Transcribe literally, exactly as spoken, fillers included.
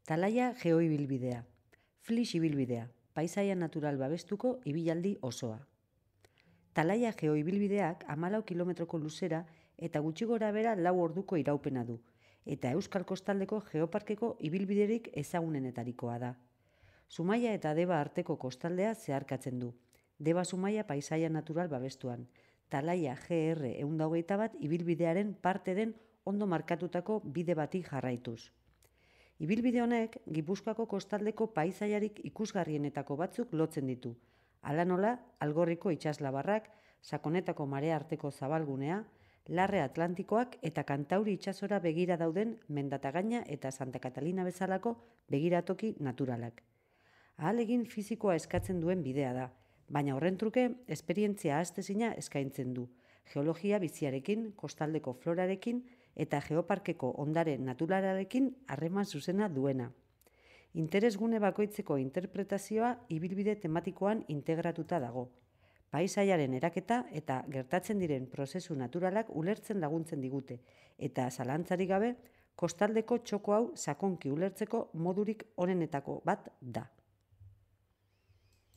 Talaia geoibilbidea, Flix ibilbidea, paisaia natural babestuko ibilaldi osoa. Talaia geoibilbideak hamalau kilometroko luzera eta gutxi gora bera lau orduko iraupena du, eta Euskal Kostaldeko Geoparkeko ibilbiderik ezagunenetarikoa da. Zumaia eta Deba arteko kostaldea zeharkatzen du. Deba Zumaia paisaia natural babestuan, Talaia G R ehun eta hogeita bat ibilbidearen parte den ondo markatutako bide bati jarraituz. Ibilbide honek Gipuzkoako kostaldeko paisaiarik ikusgarrienetako batzuk lotzen ditu. Hala nola, Algorriko itsaslabarrak, Sakonetako marea arteko zabalgunea, Larre Atlantikoak eta Kantauri itsasora begira dauden Mendatagaina eta Santa Catalina bezalako begiratoki naturalak. Ahalegin fisikoa eskatzen duen bidea da, baina horren truke esperientzia ahaztezina eskaintzen du, geologia biziarekin, kostaldeko florarekin eta geoparkeko ondare naturalarekin harreman zuzena duena. Interesgune bakoitzeko interpretazioa ibilbide tematikoan integratuta dago. Paisaiaren eraketa eta gertatzen diren prozesu naturalak ulertzen laguntzen digute, eta zalantzarik gabe, kostaldeko txoko hau sakonki ulertzeko modurik onenetako bat da.